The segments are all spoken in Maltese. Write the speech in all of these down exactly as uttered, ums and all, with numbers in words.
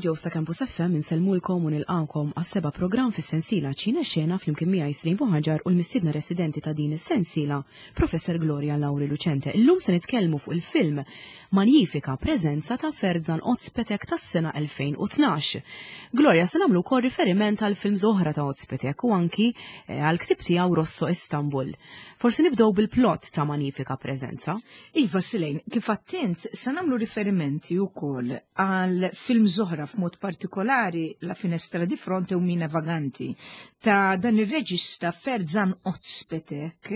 Mill-studio sa Campus F M insellmulkom u nilqawkom għas-seba' programm fis-sensiela Ċina Xena flimkien miegħi Slim Buħaġar u l-mistiedna residenti ta' din is-sensiela, Professor Gloria Lauri Lucente. Illum se nitkellmu fuq il-film Manifika Prezenza ta' Ferzan Ozpetek tas-sena elfejn u tnax. Gloria, se nagħmlu wkoll riferiment għal films oħra ta' Ozpetek u anki eh, għal ktib tiegħu Rosso Istanbul. Forsi nibdew bil-plot ta' Manifika Prezenza. Iva Silejn, kif attent, se nagħmlu riferimenti wkoll għal films oħra, f'mod partikolari La Finestra di Fronte u Mine Vaganti ta' dan ir-reġista Ferzan Ozpetek,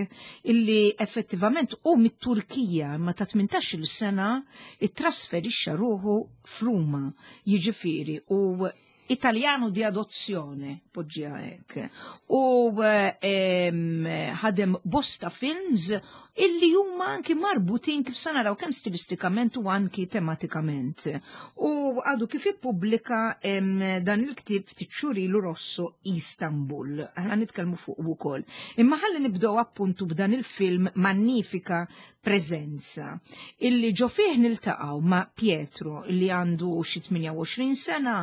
illi effettivament u mit-Turkija ma ta' tmintax-il sena ittrasferixxa ruħu f'Ruma, jiġifieri u Italjano di adozzjone, poġġiha hekk. U ehm, ħadem bosta films illi huma anki marbutin, kif sa naraw, kemm stilistikament u anki tematikament. U għadu kif ippubblika em, dan il-ktib ftit xhur ilu, Rosso Istanbul. Aħna nitkellmu fuq ukoll. Imma ħalli nibdew appuntu b'dan il-film Magnifika Prezenza, illi ġo fih niltaqgħu ma' Pietro, illi għandu xi tmienja u għoxrin sena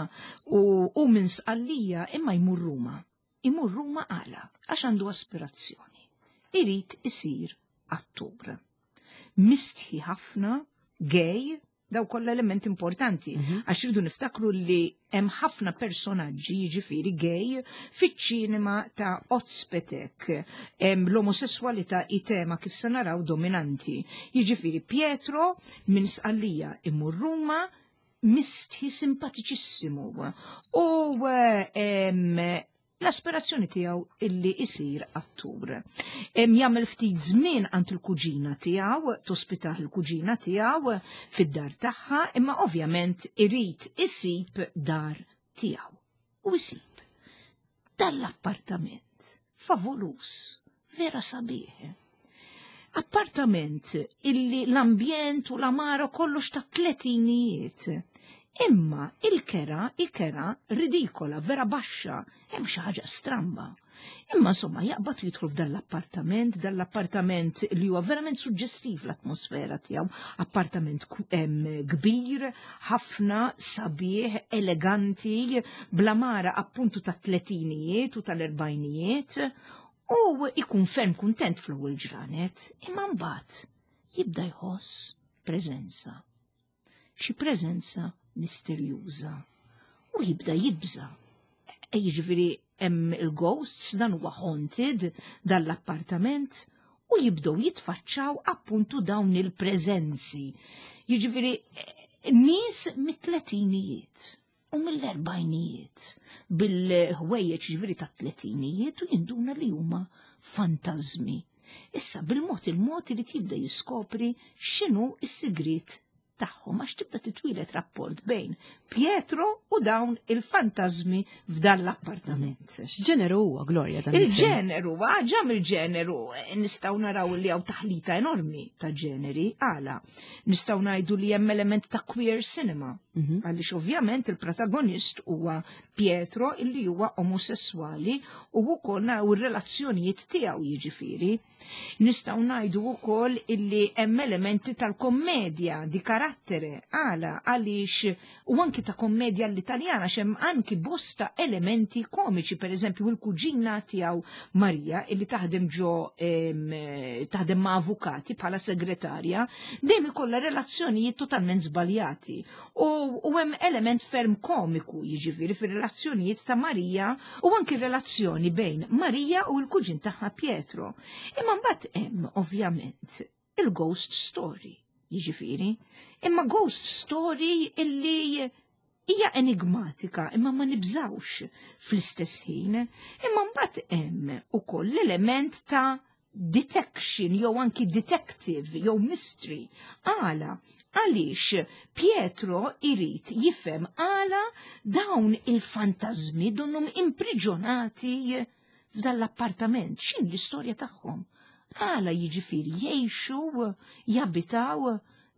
u, u minn Sqallija imma jmur Ruma. Imur Ruma għala? Għax għandu aspirazzjoni. Irid isir attur. Mistħi ħafna, gay, daw kollha element importanti, għax irridu niftakru li hemm ħafna personaġġi, jiġifieri gay, fiċ-ċinema ta' Ozpetek. Hemm l-omosessualità i tema, kif se naraw, dominanti. Jiġifieri Pietro minn Sqallija imur Ruma, mistħi, simpatiċissimu. U em, l-aspirazzjoni tiegħu illi isir attur. Em jagħmel ftit żmien għand il-kuġina tiegħu, tospitah il-kuġina tiegħu fid-dar tagħha, imma ovvjament irid isib dar tiegħu. U isib dal-appartament favolus, vera sabiħ. Appartament illi l-ambjent u l-għamara kollox ta' tletinijiet. Imma il-kera, il-kera ridikola, vera baxxa, hemm xi ħaġa stramba. Imma insomma jaqbad u jidħlu f'dan l-appartament, dan l-appartament li huwa verament suġġestiv l-atmosfera tiegħu, appartament ku- em, kbir, ħafna, sabiħ, eleganti, bl-għamara appuntu ta' tletinijiet u tal-erbajnijiet, u ikun ferm kuntent fl-ewwel ġranet, imma mbagħad jibda jħoss preżenza. Xi preżenza misterjuża. U jibda jibża. E jiġifieri hemm il-ghosts, dan huwa haunted dan l-appartament, u jibdew jitfaċċaw appuntu dawn il-preżenzi. Jiġifieri eh, nies mit-tletinijiet u mill-erbajnijiet bil-ħwejjeġ, jiġifieri ta' tletinijiet, u jinduna li huma fantazmi. Issa bil-mod il-mod li tibda jiskopri x'inhu s-sigriet tagħhom, għax tibda titwieled rapport bejn Pietro u dawn il-fantazmi f'dan l-appartament. X'ġeneru huwa, Gloria, dan il-film? Il-ġeneru, ġa mill-ġeneru, nistgħu naraw li hawn taħlita enormi ta' ġeneri, għala. Nistgħu ngħidu li hemm element ta' queer cinema. Mhm. Għaliex ovvjament il-protagonist huwa Pietro, illi huwa omosessuali, u wkoll naraw ir-relazzjonijiet tiegħu jiġifieri. Nistgħu ngħidu wkoll illi hemm elementi tal-kommedja di carattere, għala? Għaliex u anki ta' kommedja l-Italjana, hemm anki bosta elementi komiċi, per eżempju il-kuġina tiegħu Maria, illi taħdem ġo em, taħdem ma' avukati bħala segretarja, dejjem ikollha relazzjonijiet totalment żbaljati. U, u hemm element ferm komiku, jiġifieri, fir-relazzjonijiet ta' Maria u anki relazzjoni bejn Maria u l-kuġin tagħha Pietro. Imma mbagħad hemm ovvjament il-ghost story, jiġifieri, imma ghost story illi hija enigmatika imma ma nibżawx fl-istess ħin. Imma mbagħad hemm ukoll l-element ta' detection jew anki detective jew mystery. Għala? Għaliex Pietro irid jifhem għala dawn il-fantazmi donnhom impriġonati f'dan l-appartament, x'in l-istorja tagħhom. Għala jiġifieri jgħixu, jabitaw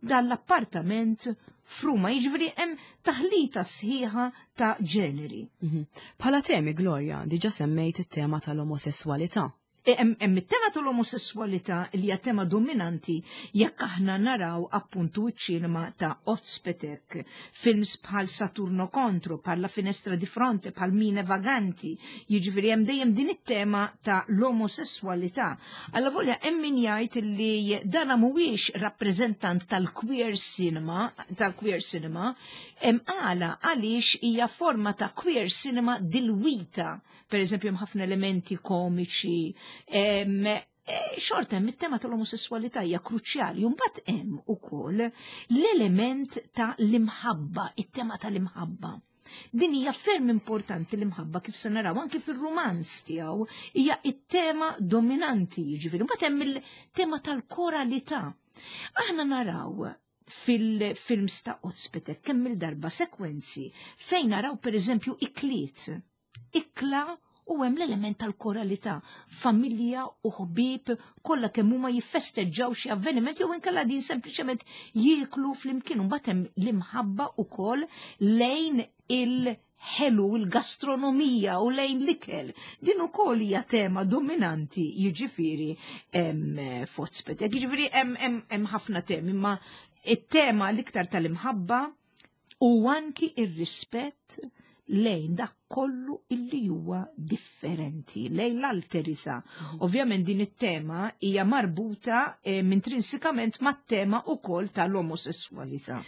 dan l-appartament f'Ruma, jiġifieri hemm taħlita sħiħa ta' ġeneri. Mhm. Bħala temi, Gloria, diġa semmejt it-tema tal-omosessualità. Hemm it-tema tal-omosessualità li hija tema dominanti jekk aħna naraw appuntu ċ-ċinema ta' Ozpetek, films bħal Saturno Contro, bħal La Finestra di Fronte, bħal Mine Vaganti, jiġifieri hemm dejjem din it-tema ta' l-omosessualità. Allavolja hemm min jgħid li dana mhuwiex rappreżentant tal-queer cinema, tal-queer cinema, hemm għala għaliex hija forma ta' queer cinema dilwita. Per eżempju, hemm ħafna elementi komiċi, em, e, xorta hemm it-tema tal-omosessualità hija kruċjali, u mbagħad hemm ukoll l-element ta' l-imħabba, it-tema tal-imħabba. Din hija ferm importanti, l-imħabba, kif se naraw anke fir-rumanz tiegħu hija it-tema dominanti, jiġifieri. Mbagħad hemm il-tema tal-koralità. Aħna naraw fil-films ta' Ozpetek kemm il-darba sekwenzi fejn naraw, per eżempju, ikliet. Ikla u hemm l-element tal-koralità, familja u ħbieb kollha kemm huma jiffesteġġaw xi avveniment jew inkella din sempliċement jieklu flimkien, u mbagħad hemm l-imħabba wkoll lejn il-ħelu, il-gastronomija u lejn l-ikel. Din ukoll hija tema dominanti, jiġifieri, f'Ozpetek. Jiġifieri hemm ħafna temi, imma it-tema l-iktar tal-imħabba u anki ir-rispett lejn dak kollu illi huwa differenti, lejn l-alterità. Mhm. Ovvjament din it-tema hija marbuta eh, intrinsikament mat-tema ukoll tal-omosessualità.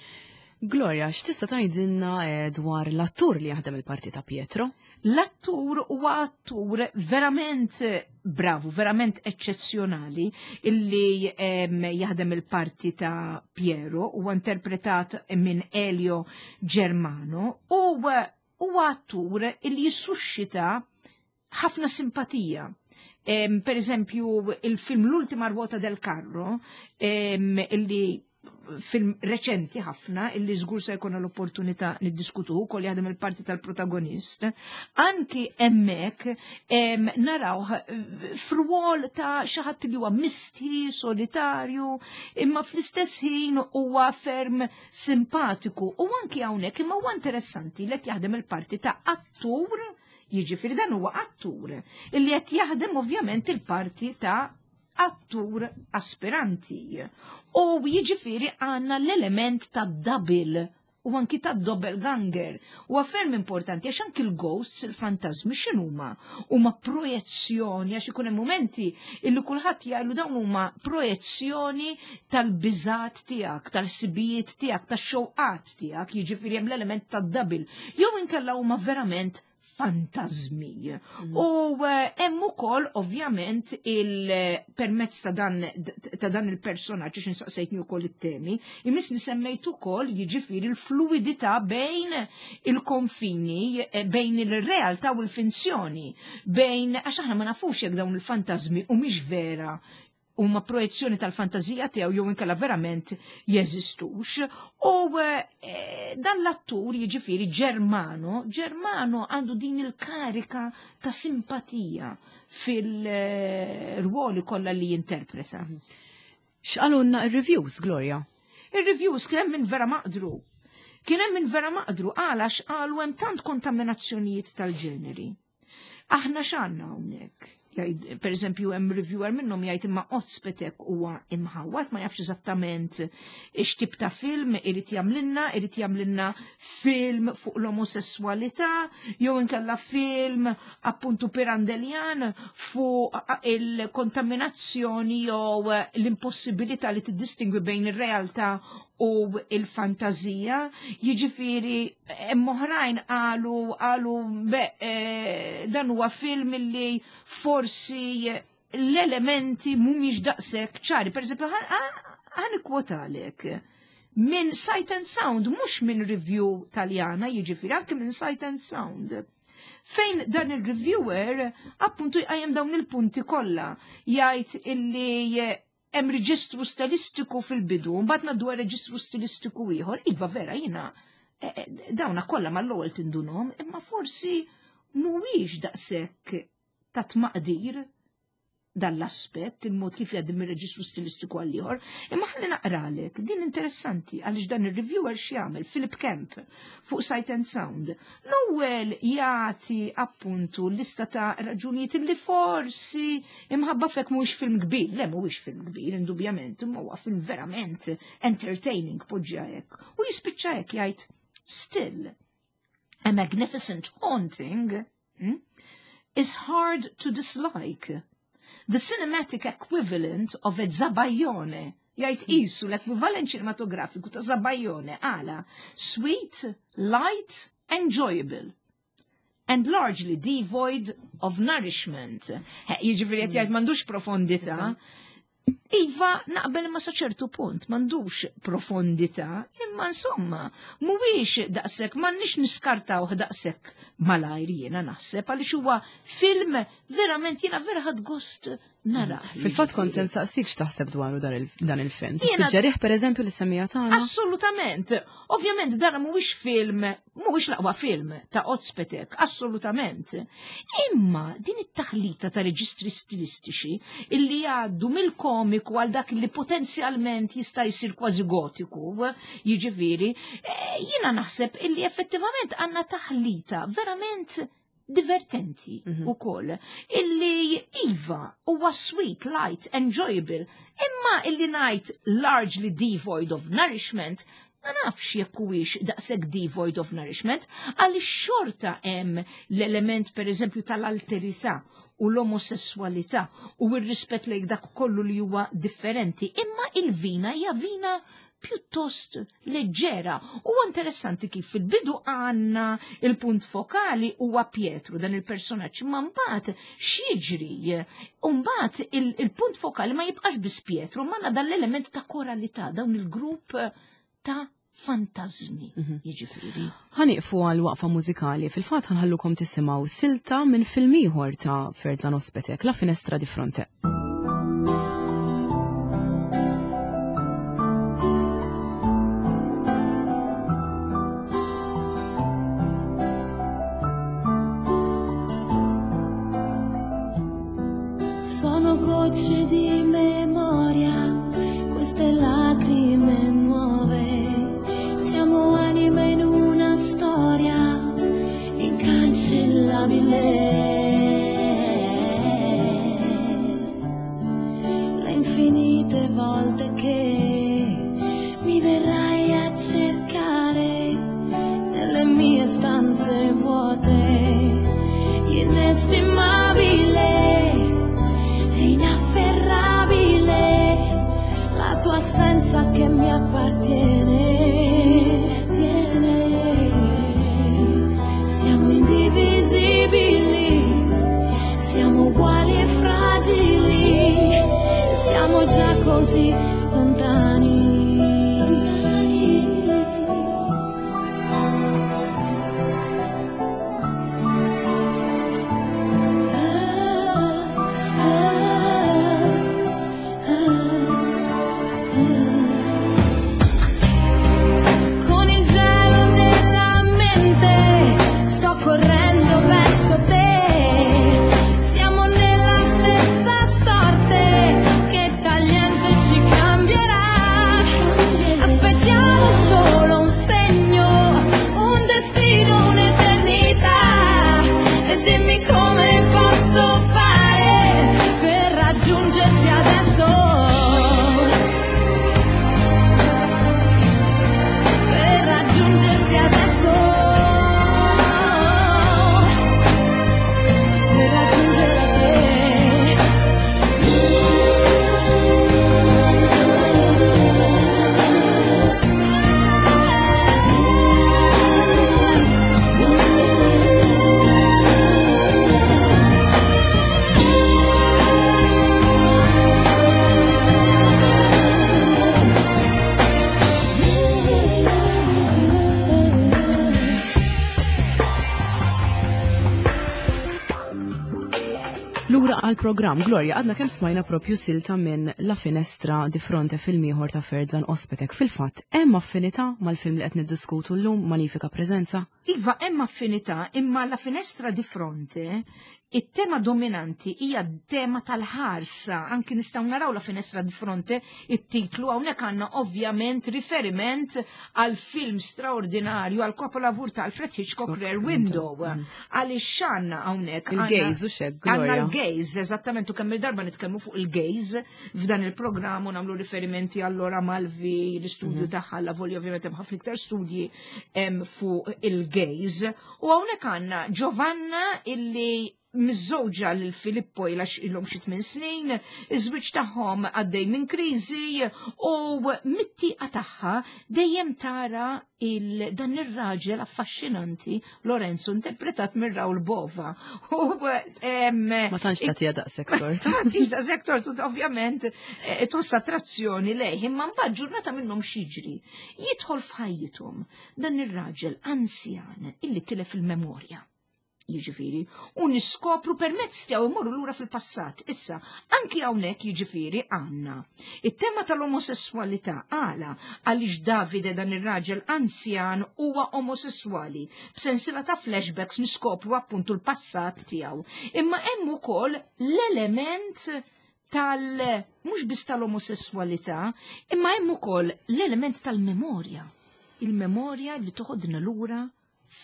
Gloria, x'tista' tgħidilna eh, dwar l-attur li jaħdem il-parti ta' Pietro? L-attur huwa attur verament bravu, verament eccezzjonali, illi em, jaħdem il-parti ta' Piero, huwa interpretat minn Elio Germano u huwa attur illi jissuscita ħafna simpatija. Em, per eżempju, il-film L'ultima ruota del carro, em, illi film reċenti ħafna, illi żgur se jkun l-opportunità niddiskutu ukoll, jaħdem il-parti tal-protagonist, anki hemmhekk naraw f'rwol ta' xi ħadd li huwa misti, solitarju, imma fl-istess ħin huwa ferm simpatiku. U anki hawnhekk imma huwa interessanti li qed jaħdem il-parti ta' attur, jiġifieri dan huwa attur, illi qed jaħdem ovvjament il-parti ta' attur aspiranti. U jiġifieri għandna l-element ta' double u anki ta' doppelganger. U ferm importanti għax anki l-ghosts, il-fantasmi, x'inhuma? Huma projezzjoni, għax ikun hemm momenti illi kulħadd jgħidu dawn huma projezzjoni tal-biżat tiegħek, tal-sibijiet tiegħek, tax-xewqat tiegħek, jiġifieri hemm l-element ta' double. Jew inkella huma verament fantazmi. Mm. U eh, hemm ukoll ovvjament il-permezz ta' dan ta' dan il-personaġġ, għax insaqsejtni wkoll it-temi, imissni semmejt ukoll, jiġifieri, l-fluidità bejn il-konfini, eh, bejn il-realtà u l-finzjoni, bejn, għax aħna ma nafux jekk dawn il-fantazmi u mhix vera, huma projezzjoni tal-fantazija tiegħu jew inkella verament jeżistux. U eh, dan l-attur, jiġifieri Germano, Germano għandu din il-karika ta' simpatija fil-ruoli kollha li jinterpreta. X'qalulna ir-reviews, Gloria? Ir-reviews kien hemm min vera maqdru. Kien hemm min vera maqdru għalax qalu hemm tant kontaminazzjonijiet tal-ġeneri. Aħna x'għandna hawnhekk? Jgħid, per eżempju, hemm reviewer minnhom jgħid imma Ozpetek huwa imħawat, ma jafx eżattament x'tip ta' film irid jagħmlilna, irid jagħmlilna film fuq l-omosessualità, jew inkella film appuntu pirandeljan fuq il-kontaminazzjoni jew l-impossibilità li tiddistingwi bejn ir-realtà u il-fantazija. Jiġifieri hemm oħrajn qalu qalu be, eh, dan huwa film li forsi l-elementi mhumiex daqshekk ċari. Per eżempju, ħa nikkwotalek minn Sight and Sound, mhux minn review Taljana, jiġifieri anke minn Sight and Sound, fejn dan il-reviewer appuntu jqajjem dawn il-punti kollha, jgħid illi hemm reġistru stilistiku fil-bidu, mbagħad ngħaddu reġistru stilistiku ieħor. Iva, vera, jiena eh, eh, dawna kollha mal-ewwel tindunhom, imma forsi mhuwiex daqshekk ta' tmaqdir. Dal-aspett, il-mod kif jgħaddi mir-reġistru stilistiku għal ieħor, imma ħalli naqralek, din interessanti għaliex dan ir-reviewer x'jagħmel, Philip Kemp, fuq Sight and Sound. L-ewwel jagħti appuntu lista ta' raġunijiet li forsi imħabba fek mhuwiex film kbir, le mhuwiex film kbir, indubjament, imma huwa film verament entertaining, poġġa hekk. U jispiċċa hekk jgħid, "Still, a magnificent haunting hmm, is hard to dislike. The cinematic equivalent of a zabaione," jgħid, qisu l-ekwivalent ċinematografiku ta' zabaione, għala, "sweet, light, enjoyable and largely devoid of nourishment." Jiġifieri qed jgħid m'għandux profondità. Iva, naqbel ma sa ċertu punt, m'għandux profondità, imma insomma, mhuwiex daqshekk, m'għandniex niskartawh daqshekk malajr, jiena naħseb, għaliex huwa film verament, jiena vera ħadt gost nara. Fil-fatt kont se nsaqsik x'taħseb dwaru dan il-film. Tissuġġerih pereżempju lis-semmiegħa tagħna? Assolutament. Ovvjament dan mhuwiex film, mhuwiex l-aqwa film ta' Ozpetek, assolutament. Imma din it-taħlita ta' reġistri stilistiċi illi jgħaddu mill-komiku għal dak li potenzjalment jista' jsir kważi gotiku, jiġifieri, eh, jiena naħseb illi effettivament għandna taħlita verament divertenti mm -hmm. ukoll. Illi iva huwa sweet, light, enjoyable, imma illi ngħid largely devoid of nourishment, ma nafx jekk huwiex daqshekk devoid of nourishment, għaliex xorta hemm l-element pereżempju tal-alterità u l-omosessualità u r-rispett lejn dak kollu li huwa differenti, imma il-vina hija vina pjuttost leġġera. U interessanti kif fil-bidu għandna il-punt fokali huwa Pietro, dan il-personaġġ, ma mbagħad x'jiġri? Mbagħad il-punt fokali ma jibqax biss Pietro, ma dan l-element ta' koralità, dawn il-grupp ta' fantasmi, mhm. jiġifieri. Ħa nieqfu għal waqfa mużikali, fil-fatt ħa nħallukom tisimgħu silta minn film ieħor ta' Ferzan Ozpetek, La Finestra di Fronte. Sono gocce di memoria, queste lacrime nuove. Siamo anime in una storia incancellabile. Le infinite volte che mi verrai a cercare nelle mie stanze vuote, inestimabile e inafferrabile, la tua assenza che mi appartiene. Siamo indivisibili, siamo uguali e fragili, siamo già così lontani. Ah, ah, ah, ah. Con il gelo nella mente sto correndo verso te. Siamo nella stessa sorte che tagliente ci cambierà. Aspettiamo solo un segno, un destino, un'eternità. E dimmi come posso fare per raggiungerti adesso. Per raggiungerti adesso. Per raggiungere te. Lura għal programm Gloria, għadna kemm smajna propju silta minn La Finestra di Fronte, film ieħor ta' Ferzan Ozpetek. Fil-fatt, hemm affinità mal-film li qed niddiskutu llum, Magnifica Presenza? Iva, hemm affinità, imma La Finestra di Fronte It-tema dominanti hija tema tal-ħarsa, anki nistgħu naraw La finestra di fronte, it-titlu hawnhekk għandna ovvjament riferiment għal film straordinarju, għal kapolavur ta' Alfred Hitchcock, Rear Window. Għaliex x'għandna hawnhekk? Il-gaze u xek, Għandna l-gaze, eżattament, u kemm il-darba nitkellmu fuq il-gaze f'dan il-programm u nagħmlu riferimenti għal Laura Malvi, l-istudju mhm. tagħha, la volja ovvjament hemm ħafna iktar studji fuq il-gaze. U hawnhekk għandna Giovanna illi miżżewġa lil Filippo ilha ilhom xi tmien snin, iż-żwieġ tagħhom għaddej minn kriżi u mit-tieqa tagħha dejjem tara il dan ir-raġel affaxxinanti Lorenzo, interpretat minn Raul Bova. U ma tantx tagħtiha daqshekk tort. Ma tantx daqshekk tort, ovvjament eh, tħoss attrazzjoni lejh, imma mbagħad ġurnata minnhom x'jiġri? Jidħol f'ħajjithom dan ir-raġel anzjan illi tilef il-memorja. Jiġifieri, u niskopru permezz tiegħu imorru lura fil-passat. Issa, anki hawnhekk jiġifieri għandna it-tema tal-omosessualità. Għala? Għaliex Davide, dan ir-raġel anzjan, huwa omosessuali. B'sensiela ta' flashbacks niskopru appuntu l-passat tiegħu. Imma hemm ukoll l-element tal mhux biss tal-omosessualità, imma hemm ukoll l-element tal-memorja. Il-memorja li toħodna lura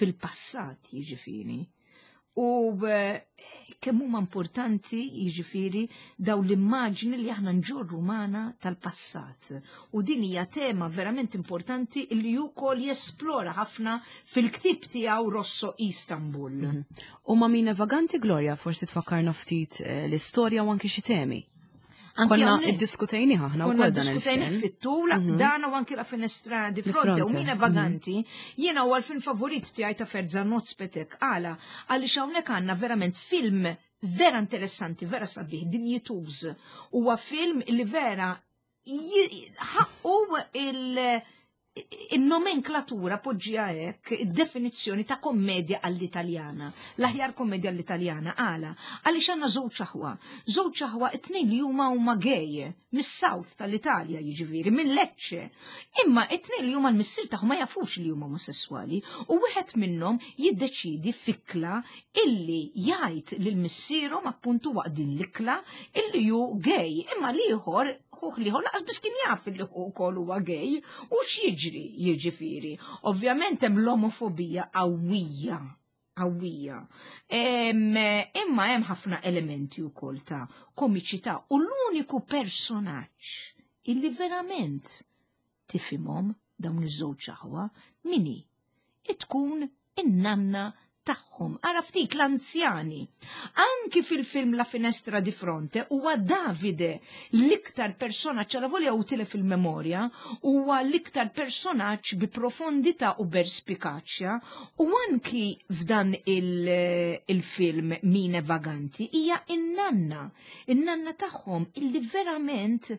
fil-passat, jiġifieri. U eh, kemm huma importanti, jiġifieri, daw l-immaġni li aħna nġorru magħna tal-passat. U din hija tema verament importanti li wkoll jesplora ħafna fil-ktib tiegħu Rosso Istanbul. Mhm. U ma' Mine Vaganti, Gloria, forsi tfakkarna ftit eh, l-istorja u anki xi temi. Konna iddiskutejni aħna wkoll dan il-film. Fit-tul, mhm. dan u anki La finestra di fronte u Mine Vaganti, mhm. jiena huwa l-film favorit tiegħi ta' Ferzan Özpetek. Għala? Għaliex hawnhekk għandna verament film vera interessanti, vera sabiħ, dinjituż. Huwa film li vera ħaqqu il- il-nomenklatura, poġġija hekk, id-definizzjoni ta' kommedja għall-Italjana, l-aħjar kommedja għall-Italjana. Għala? Għaliex għandna żewġ aħwa. Żewġ aħwa, it-tnejn li huma huma gay, mis-South tal-Italja, jiġifieri, minn Lecce. Imma it-tnejn li huma, l-missier tagħhom ma jafux li huma omosessuali u wieħed minnhom jiddeċidi f'ikla illi jgħid lil missierhom appuntu waqt din l-ikla illi hu gay. Imma l-ieħor, ħuh l-ieħor, lanqas biss kien jaf illi hu wkoll huwa gay. U x'jiġri, jiġifieri? Ovvjament hemm l-omofobija qawwija, qawwija. Imma hemm ħafna elementi wkoll ta' komiċità u l-uniku personaġġ illi verament tifhimhom dawn iż-żewġ aħwa min hi? Tkun in-nanna tagħhom. Ara ftit l-anzjani. Anki fil-film La finestra di fronte huwa Davide l-iktar personaġġ, għala volja utile fil-memorja, huwa l-iktar personaġġ bi profondità u perspikaċja, u anki f'dan il-film Mine Vaganti hija in-nanna, in-nanna tagħhom illi verament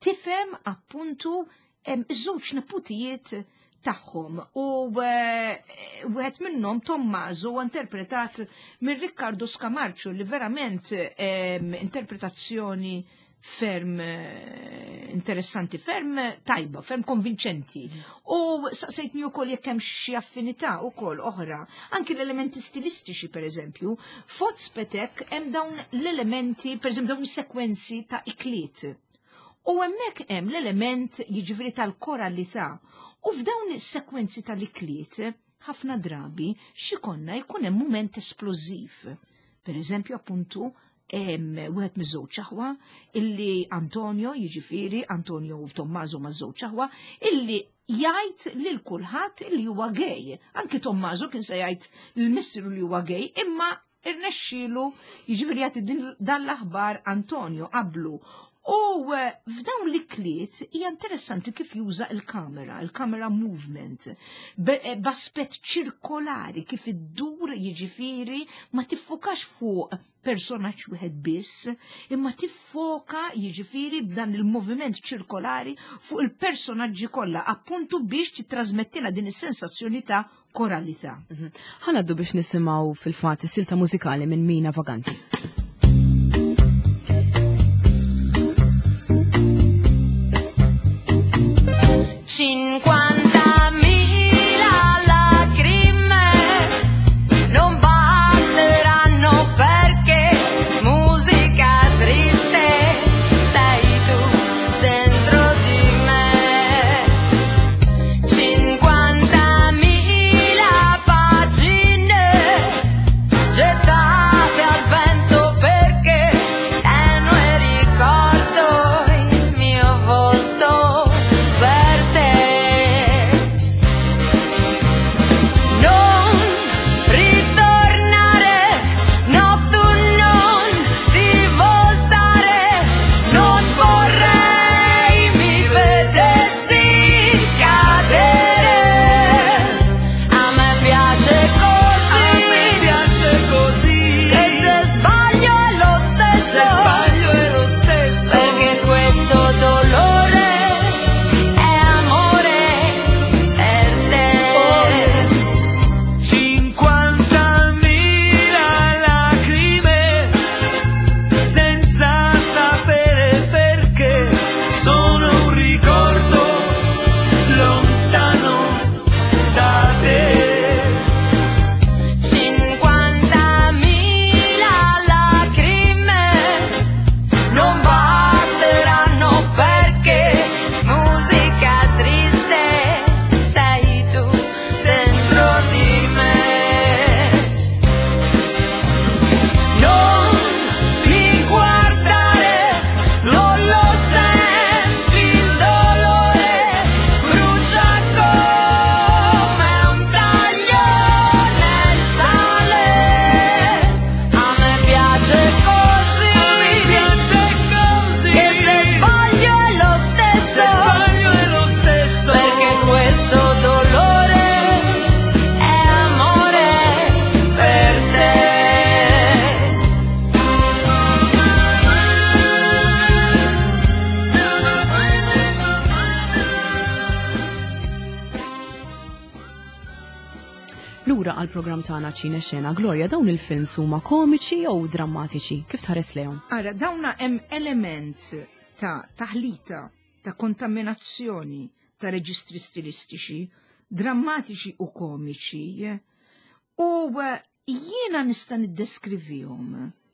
tifhem appuntu iż-żewġ neputijiet tagħhom, u eh, wieħed minnhom, Tommaso, huwa interpretat minn Riccardo Scamarcio, li verament interpretazzjoni ferm eh, interessanti, ferm tajba, ferm konvinċenti. U saqsejtni wkoll jekk hemm xi affinità wkoll oħra, anki l-elementi stilistiċi. Per eżempju, f'Özpetek hemm dawn l-elementi, per eżempju dawn is-sekwenzi ta' ikliet. U hemmhekk hemm l-element, jiġifieri, tal-koralità. U f'dawn is-sekwenzi tal-ikliet, ħafna drabi x'ikollna, jkun hemm mument esplożiv. Per eżempju, appuntu, wieħed miż-żewġ aħwa illi Antonio, jiġifieri Antonio u Tommaso ma' żewġ aħwa, illi jgħid lil kulħadd illi huwa gay. Anki Tommaso kien se jgħid l-missieru li huwa gay, imma irnexxielu, jiġifieri, jagħti dan l-aħbar Antonio qablu. U eh, f'dawn l-ikliet hija interessanti kif juża il-kamera, il-camera movement, eh, b'aspett ċirkolari kif iddur, jiġifieri ma tiffokax fuq personaġġ wieħed biss, imma tiffoka, jiġifieri, b'dan il-moviment ċirkolari fuq il-personaġġi kollha, appuntu biex titrasmettina din is-sensazzjoni ta' koralità. Mhm. Ħa ngħaddu biex nisimgħu fil-fatt silta mużikali minn Mina Vaganti. Cinquantamila lacrime non basteranno perché għal programm tagħna Ċine Xena. Gloria, dawn il-films huma komiċi jew drammatiċi? Kif tħares lejhom? Ara, dawna hemm element ta' taħlita, ta' kontaminazzjoni ta' reġistri stilistiċi, drammatiċi u komiċi, u eh, jiena nista' niddeskrivihom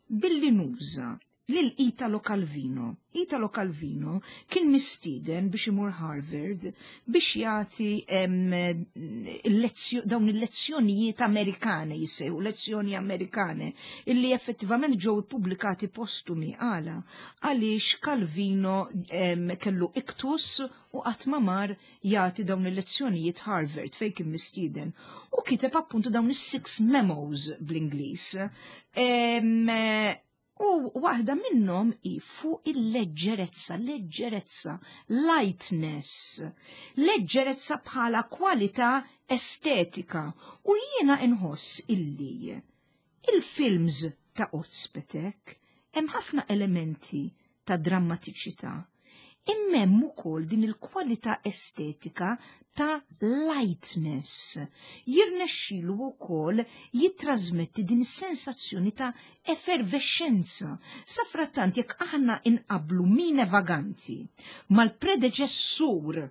billi nuża lil Italo Calvino. Italo Calvino kien mistieden biex imur Harvard biex jagħti dawn il-lezzjonijiet Amerikane jisew, lezzjoni Amerikane, illi effettivament ġew ippubblikati postumi. Għala? Għaliex Calvino em, kellu iktus u qatt ma mar jagħti dawn il-lezzjonijiet Harvard fejn kien mistieden. U kiteb appuntu dawn is-six memos bl-Ingliż. U waħda minnhom hi fuq il-leġġerezza, leġġerezza, lightness, leġġerezza bħala kwalità estetika. U jiena inħoss illi il-films ta' Ozpetek hemm ħafna elementi ta' drammatiċità. Imma hemm ukoll din il-kwalità estetika ta' lightness. Jirnexxilu wkoll jittrasmetti din is-sensazzjoni ta' effervescenza. Safrattant jekk aħna inqablu Mine Vaganti mal-predeċessur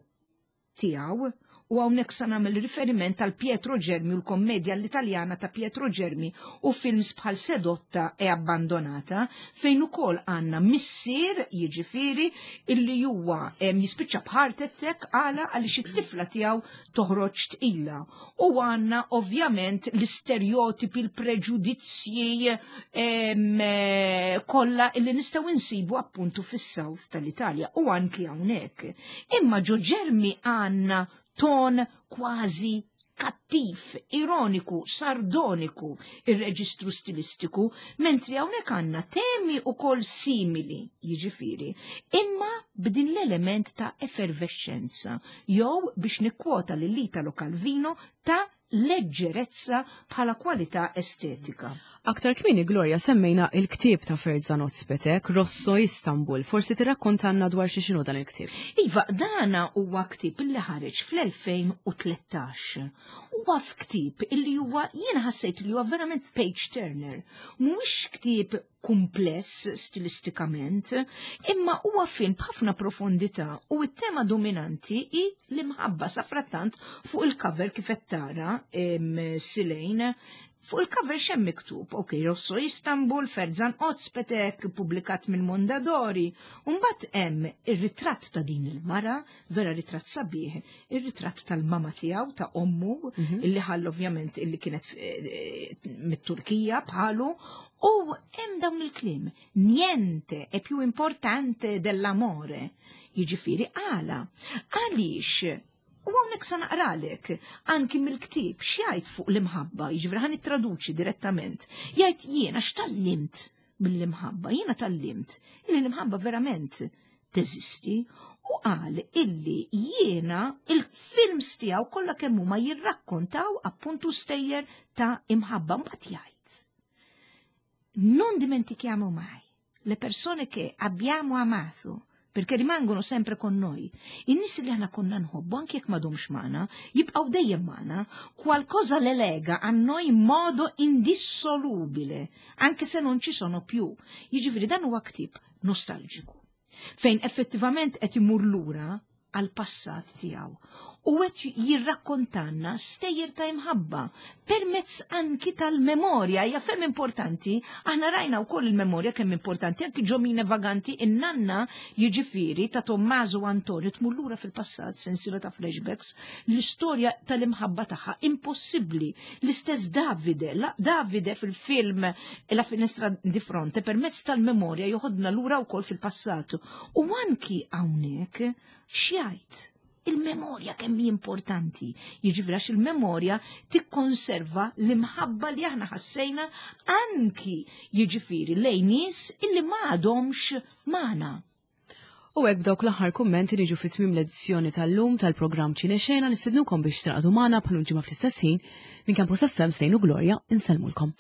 tiegħu, u hawnhekk sa nagħmel riferiment għal Pietro Germi u l-kommedja l-Italjana ta' Pietro Germi u films bħal Sedotta e Abbandonata, fejn ukoll għandna missier, jiġifieri, illi huwa jispiċċa b'heart attack. Għala? Għaliex it-tifla tiegħu toħroġ tqila. U għandna ovvjament l-istereotipi, l-preġudizzji kollha illi nistgħu insibu appuntu fis-South tal-Italja u anki hawnhekk. Imma ġo Germi għandna ton kważi kattiv, ironiku, sardoniku ir-reġistru stilistiku, mentri hawnhekk għandna temi ukoll simili, jiġifieri, imma b'din l-element ta' effervescenza, jew biex nikkwota lil Italo Calvino, ta' leġġerezza bħala kwalità estetika. Aktar kmieni, Gloria, semmejna il-ktieb ta' Ferzan Ozpetek, Rosso Istanbul. Forsi tirrakkontanna dwar xi xinu dan il-ktieb. Iva, dana huwa ktieb illi ħareġ fl-elfejn u tlettax. Huwa ktieb illi huwa, jiena ħassejt li huwa verament page turner. Mhuwiex ktieb kumpless stilistikament, imma huwa film b'ħafna profondità u t-tema dominanti hi l-imħabba. Safrattant fuq il-cover, kif qed tara Silejn, fuq il-cover x'hemm miktub? Ok, Rosso Istanbul, Ferzan Ozpetek, publikat minn Mondadori. Mbagħad hemm ir-ritratt ta' din il-mara, vera ritratt sabiħ, ir-ritratt tal-mama tiegħu, ta' ommu, mhm. illi ħall ovvjament illi kienet eh, mit-Turkija bħalu, u hemm dawn il-kliem: "Niente è più importante dell'amore." Jiġifieri għala? Għaliex? U hawnhekk sa naqralek anki mill-ktieb x'jgħid fuq l-imħabba, jiġifieri ħa nittraduċi direttament. Jgħid: "Jiena x'tgħallimt mill-imħabba? Jiena tgħallimt illi l-imħabba verament teżisti." U qal illi jiena il-films tiegħu kollha kemm huma jirrakkontaw appuntu stejjer ta' imħabba. Mbagħad jgħid: "Non dimentichiamo mai le persone che abbiamo amato, perché rimangono sempre con noi." In-nies li aħna konna nħobbu, anke jekk m'għadhomx magħna, jibqgħu dejjem magħna, "qualcosa le lega a noi in modo indissolubile, anche se non ci sono più." Jiġifieri dan huwa ktieb nostalġiku, fejn effettivament qed imur lura għal passat tiegħu u qed jirrakkontanna stejjer ta' imħabba permezz anki tal-memorja. Hija ferm importanti, aħna rajna wkoll il-memorja kemm importanti anki ġo Mine Vaganti, in-nanna jiġifieri ta' Tommaso Antonio tmur lura fil-passat, sensiela ta' flashbacks, l-istorja tal-imħabba tagħha impossibbli. L-istess Davide, la, Davide fil-film La finestra di fronte permezz tal-memorja joħodna lura wkoll fil-passat. U anki hawnhekk x'jgħid? Il-memorja kemm hi importanti. Jiġifieri għax il-memorja tikkonserva l-imħabba li aħna ħassejna anki jiġifieri lejn nies illi ma għadhomx magħna. U hekk b'dawk l-aħħar kummenti niġu fi tmiem l-edizzjoni tal-lum tal-programm Ċine Xena. Nistednukom biex tingħaqdu magħna bħal ġimgħa fl-istess ħin. Minn Campus F M, Slejn u Gloria, insellmulkom.